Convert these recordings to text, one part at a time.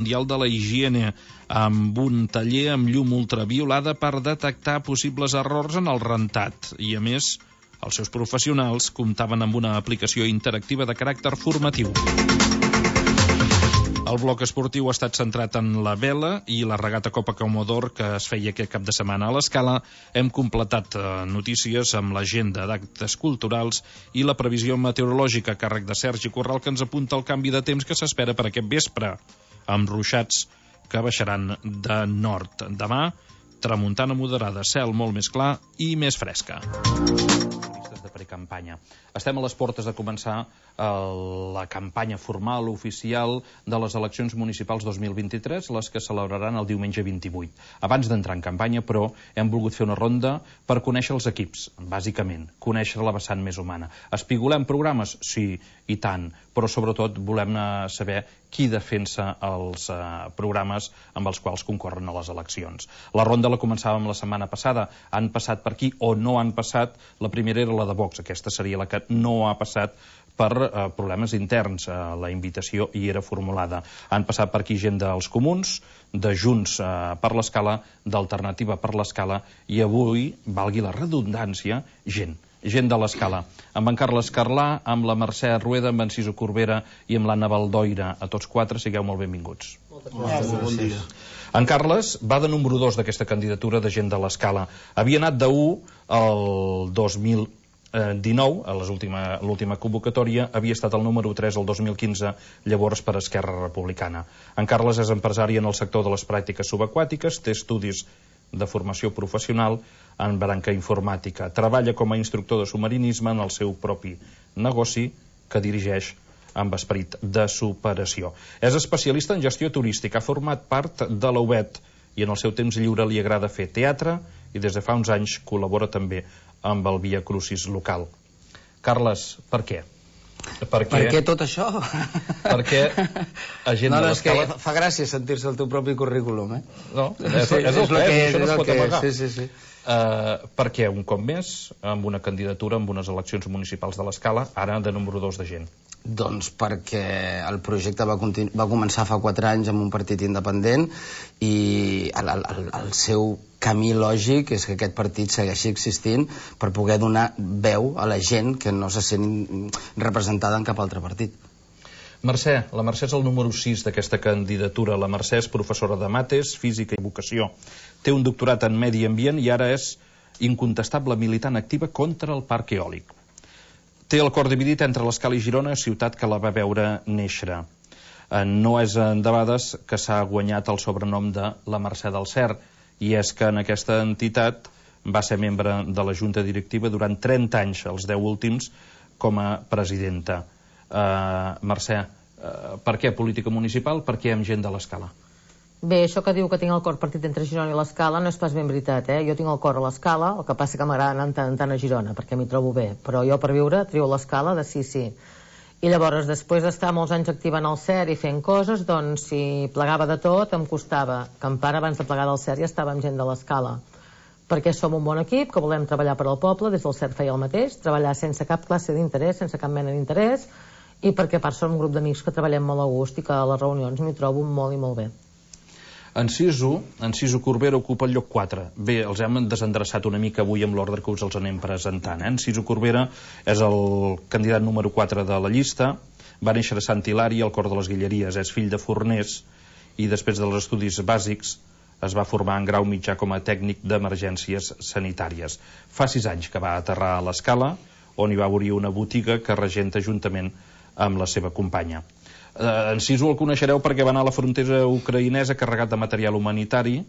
Mundial de la Higiene amb un taller amb llum ultraviolada per detectar possibles errors en el rentat. I, a més, els seus professionals comptaven amb una aplicació interactiva de caràcter formatiu. El bloc esportiu ha estat centrat en la vela i la regata Copa Comodor que es feia aquest cap de setmana a l'Escala. Hem completat notícies amb l'agenda d'actes culturals i la previsió meteorològica a càrrec de Sergi Corral, que ens apunta el canvi de temps que s'espera per aquest vespre, amb ruixats que baixaran de nord. Demà, tramuntana moderada, cel molt més clar i més fresca. De precampanya. Estem a les portes de començar la campanya formal, oficial, de les eleccions municipals 2023, les que celebraran el diumenge 28. Abans d'entrar en campanya, però, hem volgut fer una ronda per conèixer els equips, bàsicament, conèixer la vessant més humana. Espigolem programes? Sí, i tant, però sobretot volem saber qui defensa els programes amb els quals concorren a les eleccions. La ronda la començàvem la setmana passada. Han passat per aquí o no han passat? La primera era la de Vox, aquesta seria la que no ha passat per problemes interns. La invitació hi era formulada. Han passat per aquí gent dels Comuns, de Junts per l'Escala, d'Alternativa per l'Escala, i avui, valgui la redundància, gent de l'Escala. Amb en Carles Carlà, amb la Mercè Rueda, amb en Ciso Corbera i amb l'Anna Baldoira. A tots quatre, sigueu molt benvinguts. Bon dia. En Carles va de número 2 d'aquesta candidatura de gent de l'Escala. Havia anat de 1 el 2019, a l'última convocatòria, havia estat el número 3 el 2015, llavors per Esquerra Republicana. En Carles és empresari en el sector de les pràctiques subaquàtiques, té estudis de formació professional en branca informàtica. Treballa com a instructor de submarinisme en el seu propi negoci, que dirigeix amb esperit de superació. És especialista en gestió turística, ha format part de la UBET i en el seu temps lliure li agrada fer teatre i des de fa uns anys col·labora també amb el Via Crucis local. Carles, per què? Per què tot això? Perquè a gent de l'Escala... Fa gràcia sentir-se el teu propi currículum, eh? No, és el que és, això no es pot amagar. Sí. Perquè un cop més, amb una candidatura, amb unes eleccions municipals de l'Escala, ara de número 2 de gent? Doncs perquè el projecte va començar fa 4 anys amb un partit independent i el seu camí lògic és que aquest partit segueixi existint per poder donar veu a la gent que no se sent representada en cap altre partit. Mercè, la Mercè és el número 6 d'aquesta candidatura. La Mercè és professora de mates, física i vocació. Té un doctorat en medi ambient i ara és incontestable militant activa contra el parc eòlic. Té el cor dividit entre l'Escala i Girona, ciutat que la va veure néixer. No és endebades que s'ha guanyat el sobrenom de la Mercè del Cer, i és que en aquesta entitat va ser membre de la Junta Directiva durant 30 anys, els 10 últims, com a presidenta. Mercè, per què política municipal? Per què amb gent de l'Escala? Bé, això que diu que tinc el cor partit entre Girona i l'Escala no és pas ben veritat, eh? Jo tinc el cor a l'Escala, el que passa que m'agrada anar tant a Girona, perquè m'hi trobo bé. Però jo per viure trio l'Escala de sí. I llavors, després d'estar molts anys activant el CER i fent coses, doncs si plegava de tot em costava. Que en part abans de plegar del CER ja estava amb gent de l'Escala. Perquè som un bon equip, que volem treballar per al poble, des del CER feia el mateix, treballar sense cap classe d'interès, sense cap mena d'interès, i perquè a part som un grup d'amics que treballem molt a gust i que a les reunions m'hi trobo molt i molt bé. En Ciso Corbera ocupa el lloc 4. Bé, els hem desendreçat una mica avui amb l'ordre que us els anem presentant. En Ciso Corbera és el candidat número 4 de la llista, va néixer a Sant Hilari, al cor de les Guilleries, és fill de forners i després dels estudis bàsics es va formar en grau mitjà com a tècnic d'emergències sanitàries. Fa 6 anys que va aterrar a l'Escala, on hi va obrir una botiga que regenta juntament amb la seva companya. En Ciso el coneixereu perquè va anar a la frontera ucraïnesa carregat de material humanitari.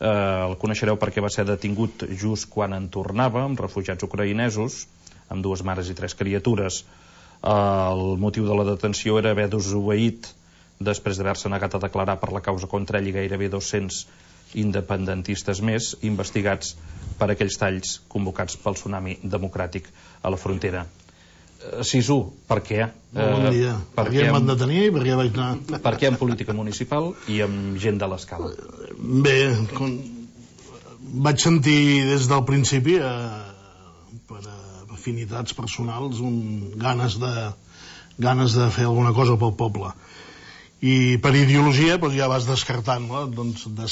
El coneixereu perquè va ser detingut just quan en tornava, amb refugiats ucraïnesos, amb 2 mares i 3 criatures. El motiu de la detenció era haver desobeït després d'haver-se negat a declarar per la causa contra ell i gairebé 200 independentistes més investigats per aquells talls convocats pel tsunami democràtic a la frontera. Ciso, per què? Bon dia. Per què em van detenir i per què vaig anar? Per què en política municipal i amb gent de l'Escala? Bé, vaig sentir des del principi, per afinitats personals, ganes de fer alguna cosa pel poble. I per ideologia ja vas descartant, no? Doncs de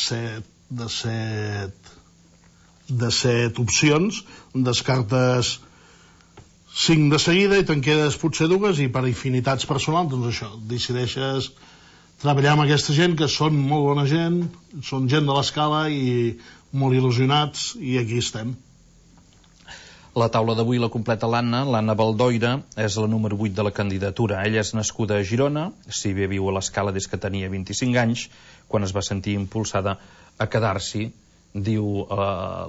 set opcions descartes 5 de seguida i te'n quedes potser 2, i per afinitats personals doncs això, decideixes treballar amb aquesta gent que són molt bona gent, són gent de l'Escala i molt il·lusionats, i aquí estem. La taula d'avui la completa l'Anna Baldoira, és la número 8 de la candidatura. Ella és nascuda a Girona, si bé viu a l'Escala des que tenia 25 anys, quan es va sentir impulsada a quedar-s'hi, diu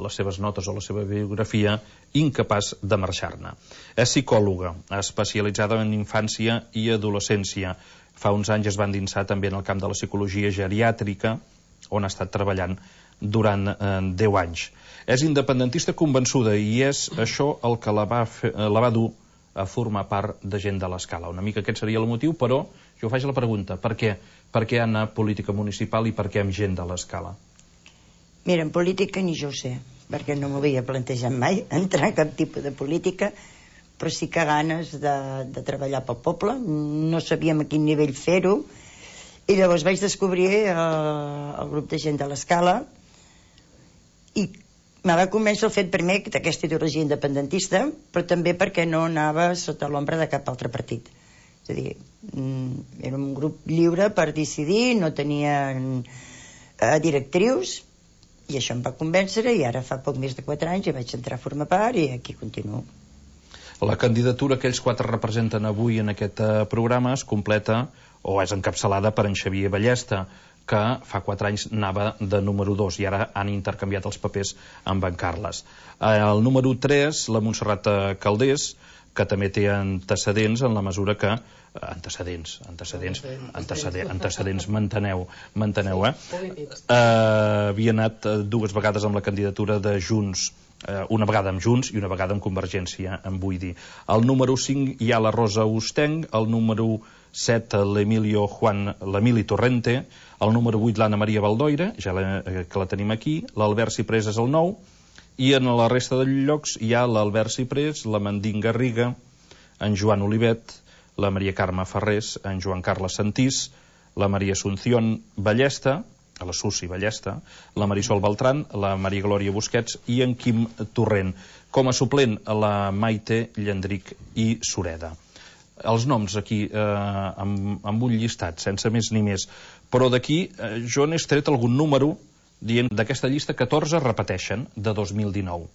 les seves notes o la seva biografia, incapaç de marxar-ne. És psicòloga, especialitzada en infància i adolescència. Fa uns anys es va endinsar també en el camp de la psicologia geriàtrica, on ha estat treballant durant 10 anys. És independentista convençuda i és això el que la va dur a formar part de gent de l'Escala. Una mica aquest seria el motiu, però jo faig la pregunta, per què? Per què anar a política municipal i per què amb gent de l'Escala? Mira, en política ni jo ho sé, perquè no m'ho havia plantejat mai entrar en cap tipus de política, però sí que ganes de treballar pel poble. No sabíem a quin nivell fer-ho, i llavors vaig descobrir el grup de gent de l'Escala, i me va convèncer el fet primer d'aquesta ideologia independentista, però també perquè no anava sota l'ombra de cap altre partit. És a dir, era un grup lliure per decidir, no tenien directrius, i això em va convèncer, i ara fa poc més de 4 anys hi vaig entrar a formar part i aquí continuo. La candidatura que ells 4 representen avui en aquest programa es completa o és encapçalada per en Xavier Ballesta, que fa 4 anys anava de número 2 i ara han intercanviat els papers amb en Carles. El número 3, la Montserrat Caldés, que també té antecedents en la mesura que antecedents, manteneu, havia anat 2 vegades amb la candidatura de Junts, una vegada amb Junts i una vegada amb Convergència, em vull dir. El número 5 hi ha la Rosa Ostenc, el número 7 l'Emili Torrente, el número 8 l'Anna Maria Baldoira, que la tenim aquí, l'Albert Ciprés és el 9, i en la resta de llocs hi ha l'Albert Ciprés, la Mandín Garriga, en Joan Olivet, la Maria Carme Ferrés, en Joan Carles Santís, la Maria Asunción Ballesta, la Susi Ballesta, la Marisol Beltrán, la Maria Glòria Busquets i en Quim Torrent. Com a suplent, la Maite Llandric i Sureda. Els noms aquí amb un llistat, sense més ni més, però d'aquí jo n'he tret algun número dient d'aquesta llista 14 repeteixen de 2019.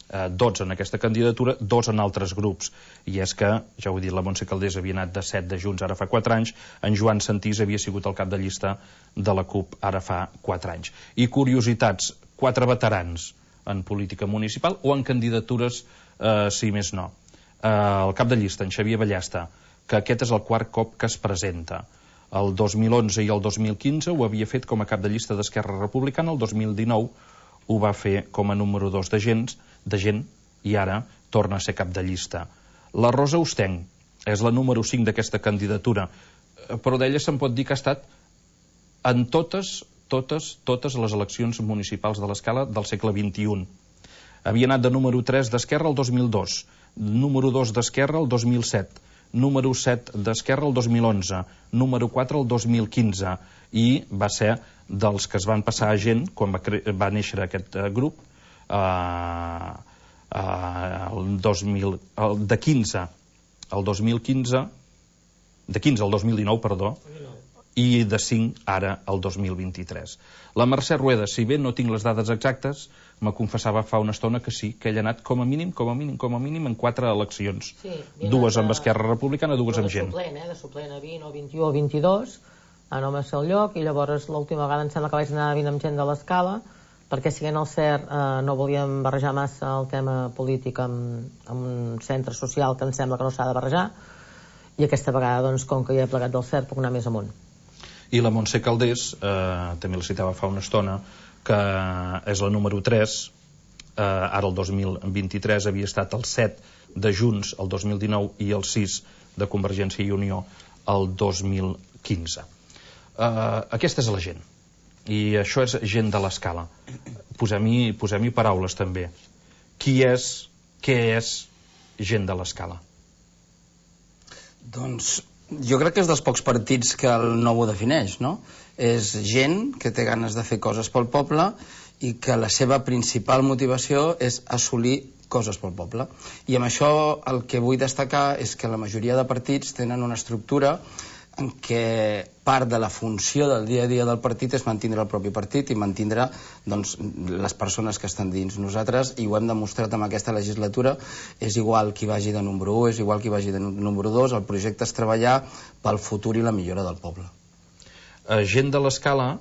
12 en aquesta candidatura, 2 en altres grups. I és que, ja ho he dit, la Montse Caldés havia anat de 7 de Junts ara fa 4 anys, en Joan Santís havia sigut el cap de llista de la CUP ara fa 4 anys. I curiositats, 4 veterans en política municipal o en candidatures, si més no. El cap de llista, en Xavier Ballesta, que aquest és el 4 cop que es presenta. El 2011 i el 2015 ho havia fet com a cap de llista d'Esquerra Republicana, el 2019 ho va fer com a número 2 de gent i ara torna a ser cap de llista. La Rosa Ostenc és la número 5 d'aquesta candidatura, però d'ella se'n pot dir que ha estat en totes les eleccions municipals de l'Escala del segle XXI. Havia anat de número 3 d'Esquerra el 2002, número 2 d'Esquerra el 2007, número 7 d'Esquerra el 2011, número 4 el 2015, i va ser dels que es van passar a gent quan va néixer aquest grup, de 15 al 2019, perdó, i de 5 ara al 2023. La Mercè Rueda, si bé no tinc les dades exactes, me confessava fa una estona que sí, que ell ha anat com a mínim en 4 eleccions. Sí, 2 amb Esquerra Republicana, 2 amb gent. De suplent a 20 o 21 o 22, a no m'és el lloc, i llavors l'última vegada em sembla que vaig anar a 20 amb gent de l'Escala, perquè siguent el CERT no volíem barrejar massa el tema polític amb un centre social que em sembla que no s'ha de barrejar, i aquesta vegada, doncs, com que ja he plegat del CERT, puc anar més amunt. I la Montse Caldés, també la citava fa una estona, que és la número 3, ara el 2023 havia estat el 7 de Junts el 2019 i el 6 de Convergència i Unió el 2015. Aquesta és la gent, i això és gent de l'Escala. Posem-hi paraules també. Què és gent de l'Escala? Doncs Jo crec que és dels pocs partits que el nou ho defineix, no? És gent que té ganes de fer coses pel poble i que la seva principal motivació és assolir coses pel poble. I amb això el que vull destacar és que la majoria de partits tenen una estructura en què part de la funció del dia a dia del partit és mantindre el propi partit i mantindre doncs, les persones que estan dins. Nosaltres, i ho hem demostrat amb aquesta legislatura, és igual qui vagi de número 1, és igual qui vagi de número 2, el projecte és treballar pel futur i la millora del poble. Gent de l'Escala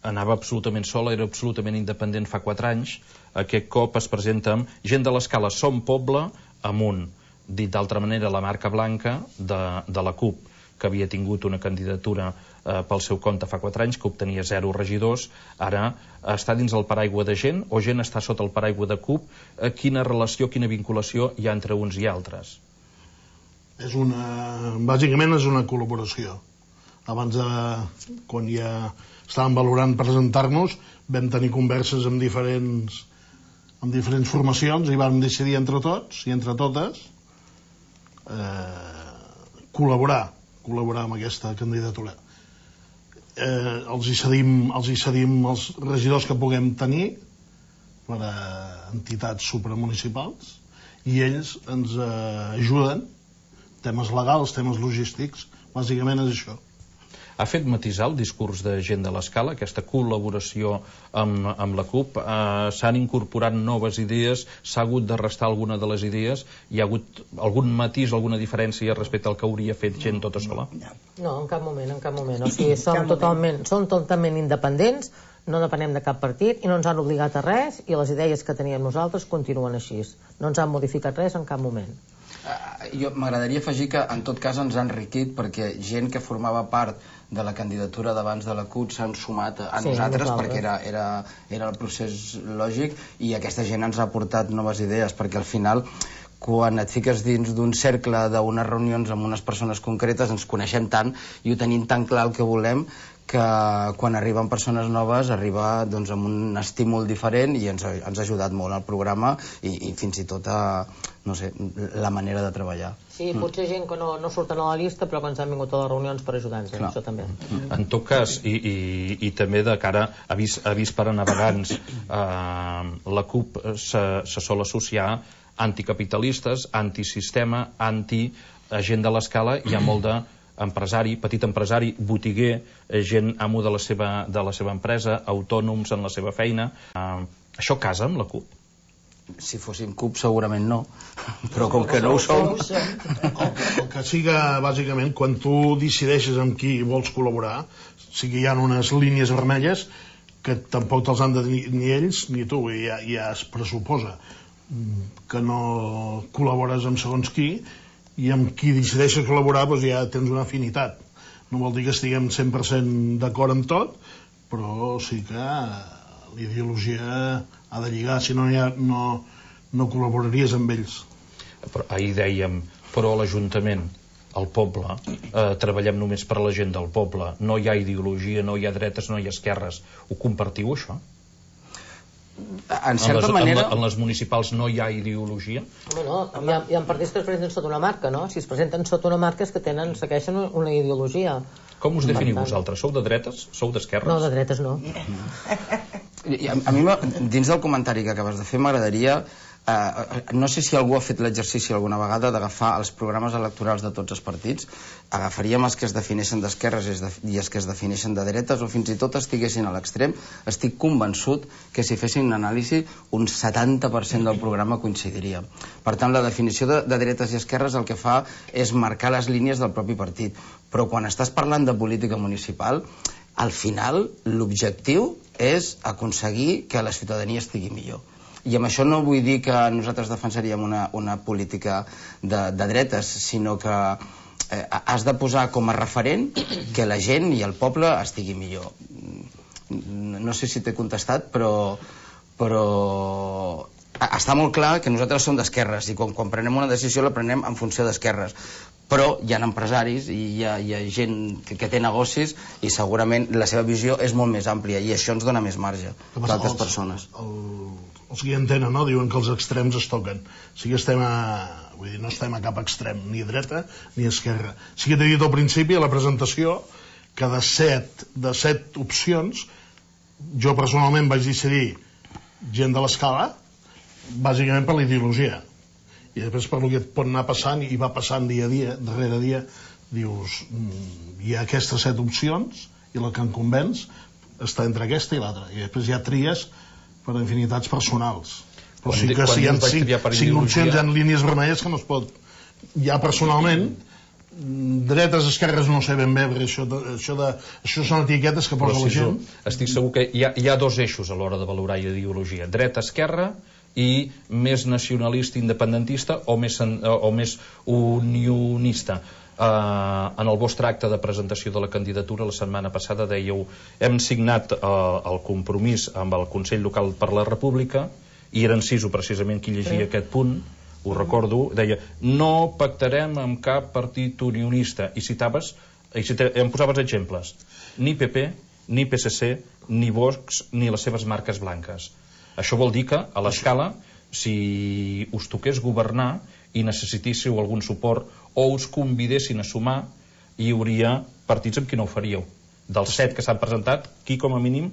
anava absolutament sola, era absolutament independent fa 4 anys, aquest cop es presenta amb Gent de l'Escala som poble amunt, dit d'altra manera la marca blanca de la CUP, que havia tingut una candidatura pel seu compte fa 4 anys, que obtenia 0 regidors, ara està dins el paraigua de Gent, o Gent està sota el paraigua de CUP. Quina relació, quina vinculació hi ha entre uns i altres? Bàsicament és una col·laboració. Abans quan ja estàvem valorant presentar-nos, vam tenir converses amb diferents formacions i vam decidir entre tots i entre totes col·laborar amb aquesta candidatura. Els hi cedim els regidors que puguem tenir per a entitats supramunicipals i ells ens ajuden, temes legals, temes logístics, bàsicament és això. Ha fet matisar el discurs de Gent de l'Escala, aquesta col·laboració amb la CUP? S'han incorporat noves idees? S'ha hagut de restar alguna de les idees? Hi ha hagut algun matís, alguna diferència respecte al que hauria fet Gent tota sola? No, en cap moment. O sigui, som totalment independents, no depenem de cap partit i no ens han obligat a res i les idees que teníem nosaltres continuen així. No ens han modificat res en cap moment. Jo m'agradaria afegir que en tot cas ens ha enriquit perquè gent que formava part de la candidatura d'abans de la CUP s'han sumat a nosaltres perquè era el procés lògic i aquesta gent ens ha aportat noves idees perquè al final quan et fiques dins d'un cercle d'unes reunions amb unes persones concretes ens coneixem tant i ho tenim tan clar el que volem que quan arriben persones noves arriba doncs, amb un estímul diferent i ens ha ajudat molt al programa i fins i tot a la manera de treballar. Sí, potser gent que no surten a la llista però que ens han vingut a les reunions per ajudar-nos, això també. En tot cas, i també de cara a vist per a navegants, la CUP se sol associar anticapitalistes, antisistema, anti-Gent de l'Escala, hi ha molt d'empresari, petit empresari, botiguer, gent amo de la seva empresa, autònoms en la seva feina. Això casa amb la CUP? Si fóssim CUP segurament no, però com que no ho som... El que siga, bàsicament, quan tu decideixes amb qui vols col·laborar, sí que hi ha unes línies vermelles que tampoc te'ls han de dir ni ells ni tu, i ja es pressuposa que no col·labores amb segons qui, i amb qui decideixes col·laborar doncs ja tens una afinitat. No vol dir que estiguem 100% d'acord amb tot, però sí que la ideologia ha de lligar, si no no col·laboraries amb ells. Però ahir dèiem, però a l'Ajuntament, al poble, treballem només per a la gent del poble, no hi ha ideologia, no hi ha dretes, no hi ha esquerres. Ho compartiu, això? En certa manera... En les municipals no hi ha ideologia? No, hi ha partits que es presenten sota una marca, no? Si es presenten sota una marca és que segueixen una ideologia. Com us definiu vosaltres? Sou de dretes? Sou d'esquerres? No, de dretes no. A mi, dins del comentari que acabes de fer, m'agradaria... no sé si algú ha fet l'exercici alguna vegada d'agafar els programes electorals de tots els partits, agafaríem els que es defineixen d'esquerres i els que es defineixen de dretes o fins i tot estiguessin a l'extrem. Estic convençut que si fessin una anàlisi un 70% del programa coincidiria. Per tant, la definició de dretes i esquerres el que fa és marcar les línies del propi partit, però quan estàs parlant de política municipal, al final l'objectiu és aconseguir que la ciutadania estigui millor. I amb això no vull dir que nosaltres defensaríem una política de dretes, sinó que has de posar com a referent que la gent i el poble estigui millor. No sé si t'he contestat, però està molt clar que nosaltres som d'esquerres i quan prenem una decisió la prenem en funció d'esquerres, però hi ha empresaris i hi ha gent que té negocis i segurament la seva visió és molt més àmplia i això ens dona més marge que altres persones. Els que hi entenen, no? Diuen que els extrems es toquen. Sí que vull dir, no estem a cap extrem, ni a dreta ni a esquerra. Sí que t'he dit al principi, a la presentació, que de set opcions, jo personalment vaig decidir gent de l'escala, bàsicament per la ideologia, i després per el que et pot anar passant, i va passant dia a dia, darrere dia, dius, hi ha aquestes 7 opcions i la que em convenç està entre aquesta i l'altra, i després hi ha tries per infinitats personals, però sí que si hi ha 5 opcions en línies vermelles que no es pot, ja personalment dretes, esquerres no sé ben bé, perquè això són etiquetes que posa la gent. Estic segur que hi ha 2 eixos a l'hora de valorar ideologia, dreta-esquerra i més nacionalista independentista o més unionista. En el vostre acte de presentació de la candidatura la setmana passada dèieu hem signat el compromís amb el Consell Local per la República i era Enciso precisament qui llegia aquest punt, ho recordo, deia no pactarem amb cap partit unionista i citaves, em posaves exemples, ni PP, ni PSC, ni Vox, ni les seves marques blanques. Això vol dir que, a l'escala, si us toqués governar i necessitéssiu algun suport o us convidessin a sumar, hi hauria partits amb qui no ho faríeu. Dels 7 que s'han presentat, qui com a mínim,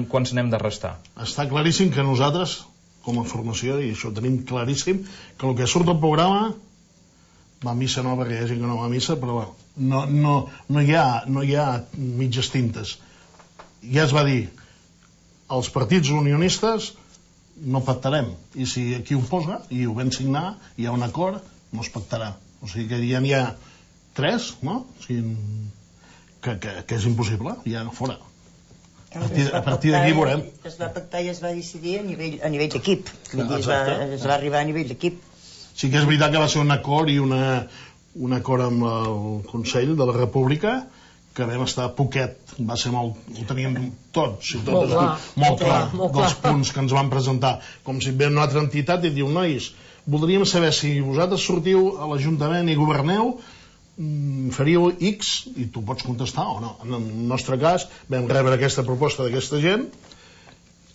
quants n'hem de restar? Està claríssim que nosaltres, com a formació, i això ho tenim claríssim, que el que surt del programa va a missa no, perquè hi ha gent que no va a missa, però no hi ha mitges tintes. Ja es va dir, els partits unionistes no pactarem, i si aquí ho posa i ho vam signar, hi ha un acord, no es pactarà, o sigui que ja n'hi ha 3, no? O sigui, que és impossible, ja fora. A partir d'aquí veurem. Es va pactar i es va decidir a nivell d'equip, es va arribar a nivell d'equip. Sí que és veritat que va ser un acord i un acord amb el Consell de la República que vam estar poquet, va ser molt, ho teníem tots, molt clar, dels punts que ens van presentar, com si ve una altra entitat i diu, nois, voldríem saber si vosaltres sortiu a l'Ajuntament i governeu, faríeu X, i tu pots contestar o no. En el nostre cas vam rebre aquesta proposta d'aquesta gent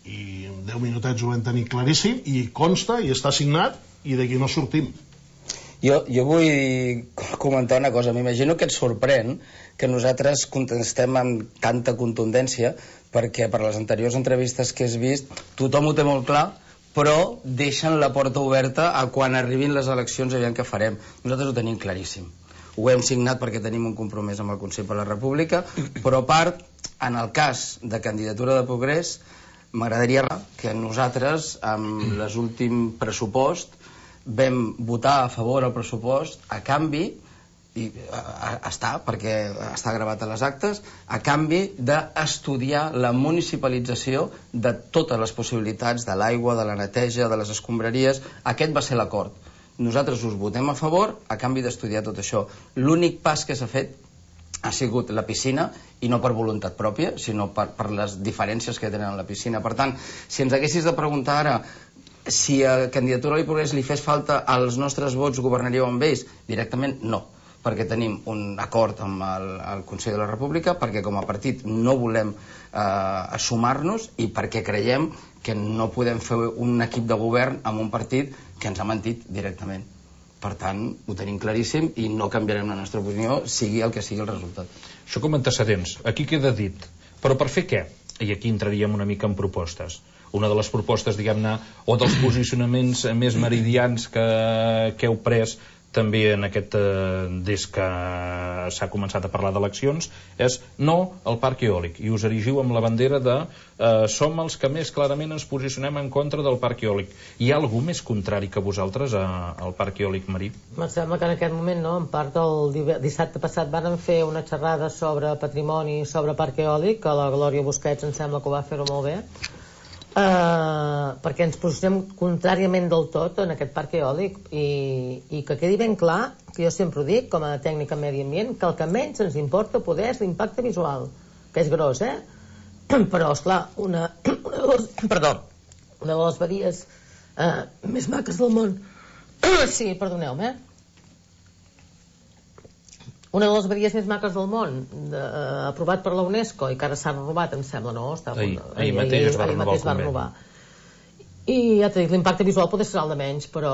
i en 10 minutets ho vam tenir claríssim i consta i està signat i d'aquí no sortim. Jo vull comentar una cosa. M'imagino que et sorprèn que nosaltres contestem amb tanta contundència perquè per les anteriors entrevistes que has vist tothom ho té molt clar, però deixen la porta oberta a quan arribin les eleccions aviam què farem. Nosaltres ho tenim claríssim. Ho hem signat perquè tenim un compromís amb el Consell per la República, però a part, en el cas de candidatura de progrés, m'agradaria que nosaltres, amb l'últim pressupost, vam votar a favor del pressupost a canvi, i perquè està gravat a les actes, a canvi d'estudiar la municipalització de totes les possibilitats de l'aigua, de la neteja, de les escombraries. Aquest va ser l'acord. Nosaltres us votem a favor a canvi d'estudiar tot això. L'únic pas que s'ha fet ha sigut la piscina, i no per voluntat pròpia, sinó per les diferències que tenen a la piscina. Per tant, si ens haguessis de preguntar ara si a Candidatura i Progrés li fes falta als nostres vots, governaríeu amb ells? Directament no, perquè tenim un acord amb el Consell de la República, perquè com a partit no volem sumar-nos i perquè creiem que no podem fer un equip de govern amb un partit que ens ha mentit directament. Per tant, ho tenim claríssim i no canviarem la nostra opinió, sigui el que sigui el resultat. Això com antecedents, aquí queda dit, però per fer què? I aquí entraríem una mica en propostes. Una de les propostes, diguem-ne, o dels posicionaments més meridians que heu pres també en aquest, des que s'ha començat a parlar d'eleccions, és no al parc eòlic, i us erigiu amb la bandera de som els que més clarament ens posicionem en contra del parc eòlic. Hi ha algú més contrari que vosaltres al parc eòlic marí? Em sembla que en aquest moment, no? En part el dissabte passat van fer una xerrada sobre patrimoni, sobre parc eòlic, que la Glòria Busquets em sembla que ho va fer-ho molt bé, perquè ens posicionem contràriament del tot en aquest parc eòlic, i que quedi ben clar, que jo sempre ho dic com a tècnica en medi ambient, que el que menys ens importa poder és l'impacte visual, que és gros, però esclar, una de les badies més maques del món. Sí, perdoneu-me. Una de les badies més maques del món, aprovat per la UNESCO, i que ara s'ha renovat, em sembla, no? Ahir mateix va renovar. I ja t'he dit, l'impacte visual pot ser el de menys, però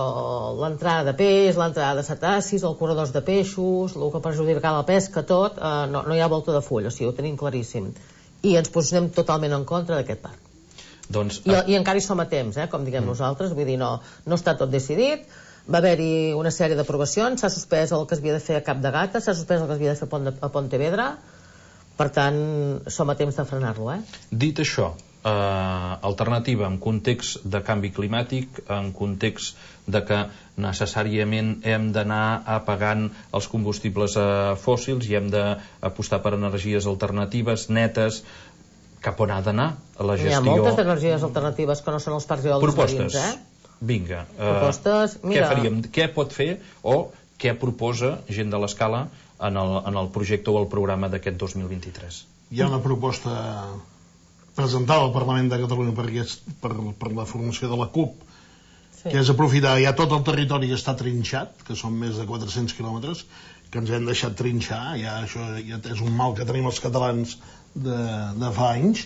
l'entrada de peix, l'entrada de cetacis, els corredors de peixos, el que perjudicarà la pesca, tot, no hi ha volta de full, o sigui, ho tenim claríssim. I ens posicionem totalment en contra d'aquest parc. I encara hi som a temps, com diguem nosaltres, vull dir, no està tot decidit, va haver-hi una sèrie d'aprovacions, s'ha suspès el que es havia de fer a Cap de Gata, s'ha suspès el que es havia de fer a Pontevedra, per tant, som a temps de frenar-lo. Dit això, alternativa en context de canvi climàtic, en context de que necessàriament hem d'anar apagant els combustibles fòssils i hem d'apostar per energies alternatives, netes, cap on ha d'anar la gestió? Hi ha moltes energies alternatives que no són els parcs eòlics marins, Vinga, propostes, què faríem? Què pot fer o què proposa gent de l'Escala en el projecte o el programa d'aquest 2023? Hi ha una proposta presentada al Parlament de Catalunya per la formació de la CUP, que és aprofitar ja tot el territori que està trinxat, que són més de 400 quilòmetres, que ens hem deixat trinxar, això ja és un mal que tenim els catalans de fa anys.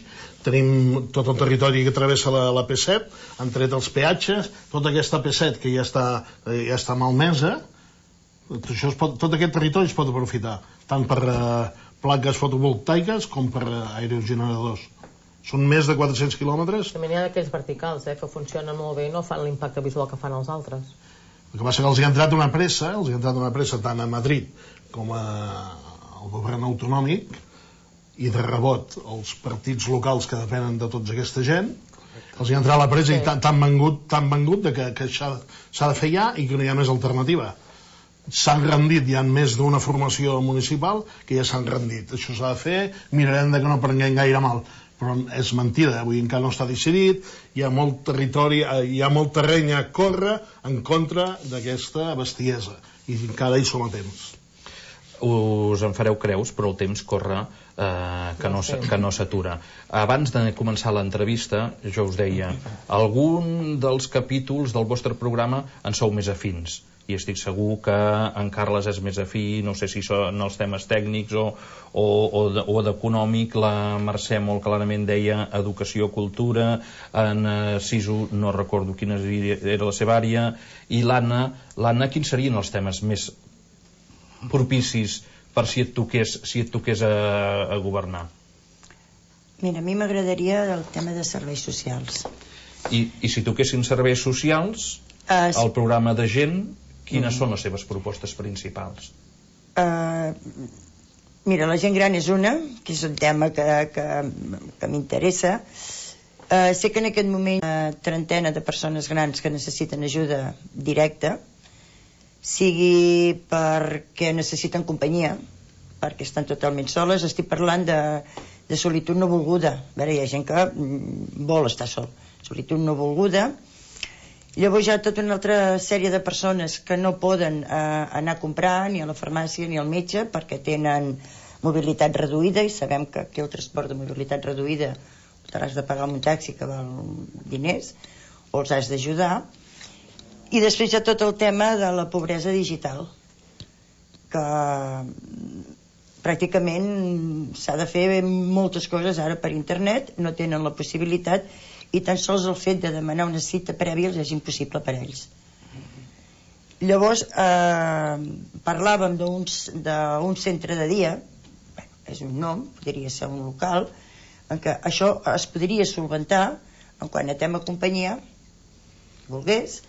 Tenim tot el territori que travessa la P7, han tret els peatges, tota aquesta P7 que ja està malmesa, tot aquest territori es pot aprofitar, tant per plaques fotovoltaiques com per aerogeneradors. Són més de 400 quilòmetres. També n'hi ha d'aquells verticals, que funcionen molt bé i no fan l'impacte visual que fan els altres. El que passa que els hi ha entrat una pressa tant a Madrid com al govern autonòmic, i de rebot els partits locals que depenen de tota aquesta gent, els hi ha entrat la pressa i tan vengut que s'ha de fer ja i que no hi ha més alternativa. S'han rendit, hi ha més d'una formació municipal que ja s'han rendit. Això s'ha de fer, mirarem que no prenguem gaire mal, però és mentida, avui encara no està decidit, hi ha molt territori, hi ha molt terreny a córrer en contra d'aquesta bestiesa, i encara hi som a temps. Us en fareu creus, però el temps corre que no s'atura. Abans de començar l'entrevista, jo us deia, algun dels capítols del vostre programa en sou més afins, i estic segur que en Carles és més afí, no sé si són els temes tècnics o d'econòmic. La Mercè molt clarament deia educació, cultura, en Sisu no recordo quina era la seva àrea, i l'Anna, quins serien els temes més propicis per si et toqués a governar? Mira, a mi m'agradaria el tema de serveis socials. I si toquessin serveis socials, el programa de gent, quines són les seves propostes principals? Mira, la gent gran és una, que és un tema que m'interessa. Sé que en aquest moment una trentena de persones grans que necessiten ajuda directa, sigui perquè necessiten companyia, perquè estan totalment soles. Estic parlant de solitud no volguda. A veure, hi ha gent que vol estar sol. Solitud no volguda. Llavors hi ha tota una altra sèrie de persones que no poden anar a comprar ni a la farmàcia ni al metge perquè tenen mobilitat reduïda, i sabem que aquí el transport de mobilitat reduïda t'has de pagar un taxi que val diners, o els has d'ajudar. I després hi ha tot el tema de la pobresa digital, que pràcticament s'ha de fer moltes coses ara per internet, no tenen la possibilitat, i tan sols el fet de demanar una cita prèvia és impossible per a ells. Llavors parlàvem d'un centre de dia, és un nom, podria ser un local, en què això es podria solventar en quant a tema companyia, volgués,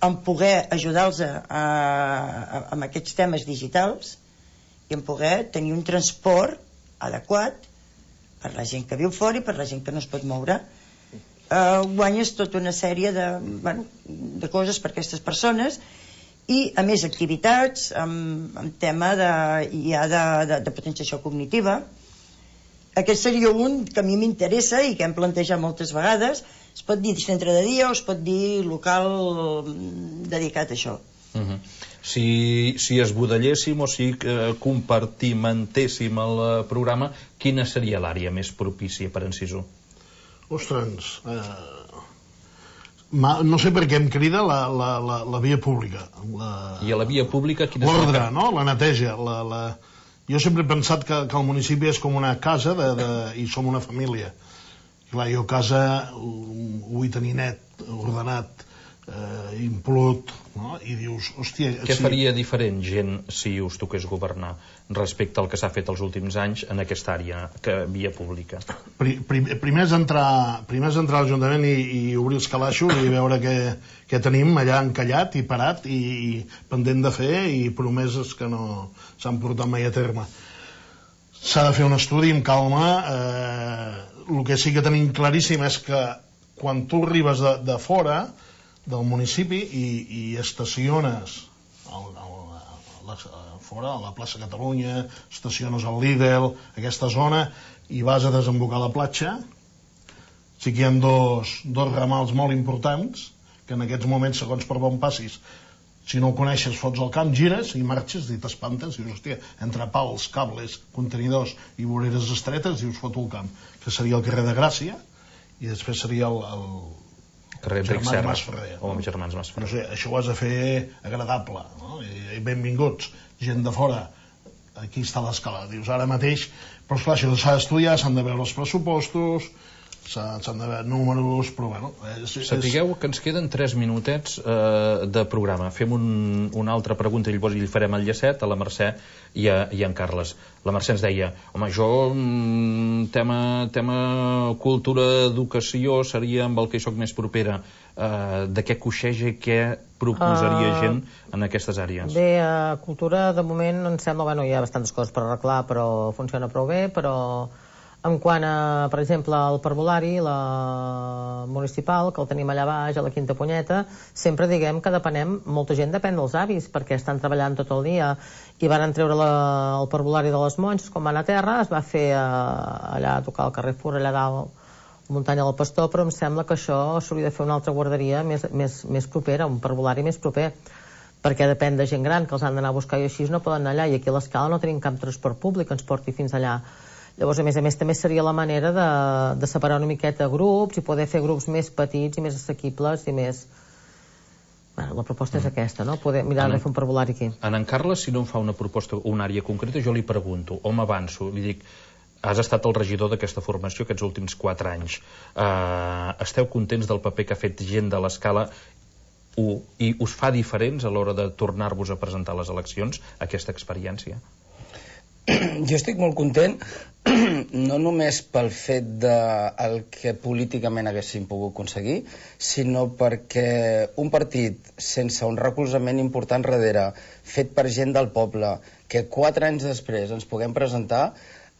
en poder ajudar-los amb aquests temes digitals i en poder tenir un transport adequat per la gent que viu fora i per la gent que no es pot moure. Guanyes tota una sèrie de coses per a aquestes persones, i a més activitats amb tema de potenciació cognitiva. Aquest seria un que a mi m'interessa i que hem plantejat moltes vegades. Es pot dir centre de dia o es pot dir local dedicat a això. Si esbudelléssim o si compartimentéssim el programa, quina seria l'àrea més propícia per en Sisu? Ostres, No sé per què em crida la via pública. I a la via pública... L'ordre, no? La neteja. Jo sempre he pensat que el municipi és com una casa i som una família. Clar, jo a casa ho vull tenir net, ordenat, implut, no? I dius, hòstia... Què faria diferent gent si us toqués governar respecte al que s'ha fet els últims anys en aquesta àrea, via pública? Primer és entrar a l'Ajuntament i obrir els calaixos i veure què tenim allà encallat i parat i pendent de fer i promeses que no s'han portat mai a terme. S'ha de fer un estudi amb calma. El que sí que tenim claríssim és que quan tu arribes de fora del municipi i estaciones fora, a la plaça Catalunya, estaciones al Lidl, aquesta zona, i vas a desembocar a la platja, sí que hi ha dos ramals molt importants, que en aquests moments, segons per on passis, si no ho coneixes, fots al camp, gires i marxes i t'espantes, dius, hòstia, entre pals, cables, contenidors i voreres estretes, dius, foto al camp, que seria el carrer de Gràcia, i després seria el carrer Germans Masferrer. O Germans Masferrer. No sé, això ho has de fer agradable, no? I benvinguts, gent de fora, aquí està l'escala, dius, ara mateix, però esclar, això s'ha d'estudiar, s'han de veure els pressupostos, s'han de veure números, però bueno... Sapigueu que ens queden 3 minutets de programa. Fem una altra pregunta i llavors hi farem el llacet a la Mercè i en Carles. La Mercè ens deia, home, jo tema cultura, educació seria amb el que hi soc més propera. De què coixeja i què proposaria gent en aquestes àrees? Bé, cultura de moment em sembla, bueno, hi ha bastantes coses per arreglar, però funciona prou bé, però en quant a, per exemple, el parvulari, la municipal, que el tenim allà baix, a la Quinta Punyeta, sempre diguem que depenem, molta gent depèn dels avis, perquè estan treballant tot el dia, i van treure el parvulari de les monges, quan van a terra, es va fer allà a tocar el Carrefour, allà dalt, muntanya del Pastor, però em sembla que això s'hauria de fer una altra guarderia més propera, un parvulari més proper, perquè depèn de gent gran, que els han d'anar a buscar i així no poden anar allà, i aquí a l'Escala no tenim cap transport públic que ens porti fins allà. Llavors, a més, també seria la manera de separar una miqueta grups i poder fer grups més petits i més assequibles i més... Bueno, la proposta és aquesta, no? Poder mirar de fer un parvulari aquí. En Carles, si no em fa una proposta o una àrea concreta, jo li pregunto, o m'avanço, li dic, has estat el regidor d'aquesta formació aquests últims 4 anys. Esteu contents del paper que ha fet gent de l'Escala i us fa diferents a l'hora de tornar-vos a presentar a les eleccions aquesta experiència? Jo estic molt content, no només pel fet del que políticament haguéssim pogut aconseguir, sinó perquè un partit sense un recolzament important darrere, fet per gent del poble, que 4 anys després ens puguem presentar,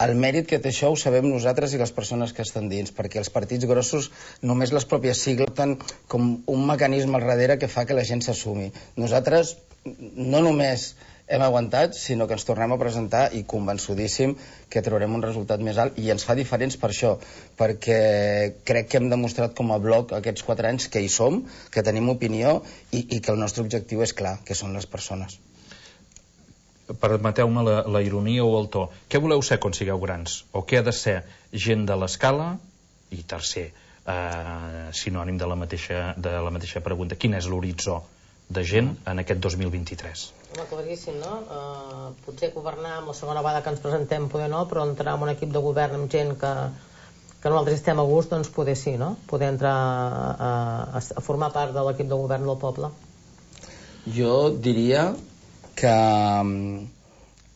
el mèrit que té això ho sabem nosaltres i les persones que estan dins, perquè els partits grossos només les pròpies sigles tenen com un mecanisme al darrere que fa que la gent s'assumi. Nosaltres no només hem aguantat, sinó que ens tornem a presentar i convençudíssim que traurem un resultat més alt i ens fa diferents per això, perquè crec que hem demostrat com a bloc aquests 4 anys que hi som, que tenim opinió i que el nostre objectiu és clar, que són les persones. Permeteu-me la ironia o el to. Què voleu ser quan sigueu grans? O què ha de ser gent de l'Escala? I tercer, sinònim de la mateixa pregunta, quin és l'horitzó de gent en aquest 2023? Home, claríssim, no? Potser governar amb la segona vegada que ens presentem poder no, però entrar en un equip de govern amb gent que nosaltres estem a gust, doncs poder sí, no? Poder entrar a formar part de l'equip de govern del poble. Jo diria que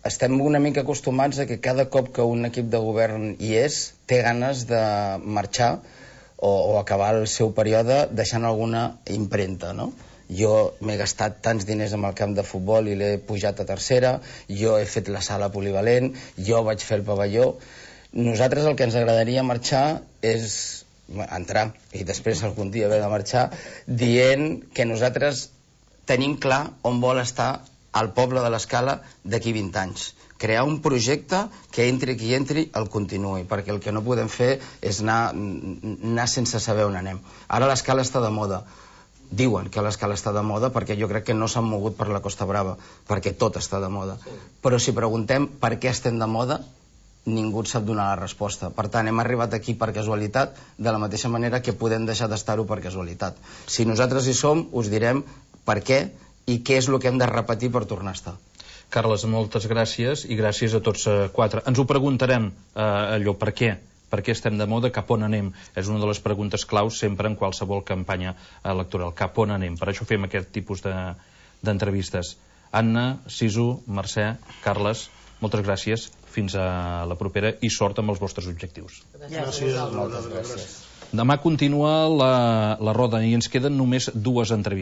estem una mica acostumats a que cada cop que un equip de govern hi és, té ganes de marxar o acabar el seu període deixant alguna impremta, no? Jo m'he gastat tants diners amb el camp de futbol i l'he pujat a tercera, jo he fet la sala polivalent, jo vaig fer el pavelló. Nosaltres el que ens agradaria marxar és entrar i després algun dia haver de marxar dient que nosaltres tenim clar on vol estar el poble de l'Escala d'aquí 20 anys. Crear un projecte que entri qui entri el continuï, perquè el que no podem fer és anar sense saber on anem. Ara l'Escala està de moda. Diuen que l'Escala està de moda perquè jo crec que no s'han mogut per la Costa Brava, perquè tot està de moda. Però si preguntem per què estem de moda, ningú sap donar la resposta. Per tant, hem arribat aquí per casualitat, de la mateixa manera que podem deixar d'estar-ho per casualitat. Si nosaltres hi som, us direm per què i què és el que hem de repetir per tornar a estar. Carles, moltes gràcies i gràcies a tots quatre. Ens ho preguntarem, allò, per què? Per què estem de moda? Cap on anem? És una de les preguntes claus sempre en qualsevol campanya electoral. Cap on anem? Per això fem aquest tipus d'entrevistes. Anna, Sisu, Mercè, Carles, moltes gràcies. Fins a la propera i sort amb els vostres objectius. Gràcies. Moltes gràcies. Demà continua la roda i ens queden només 2 entrevistes.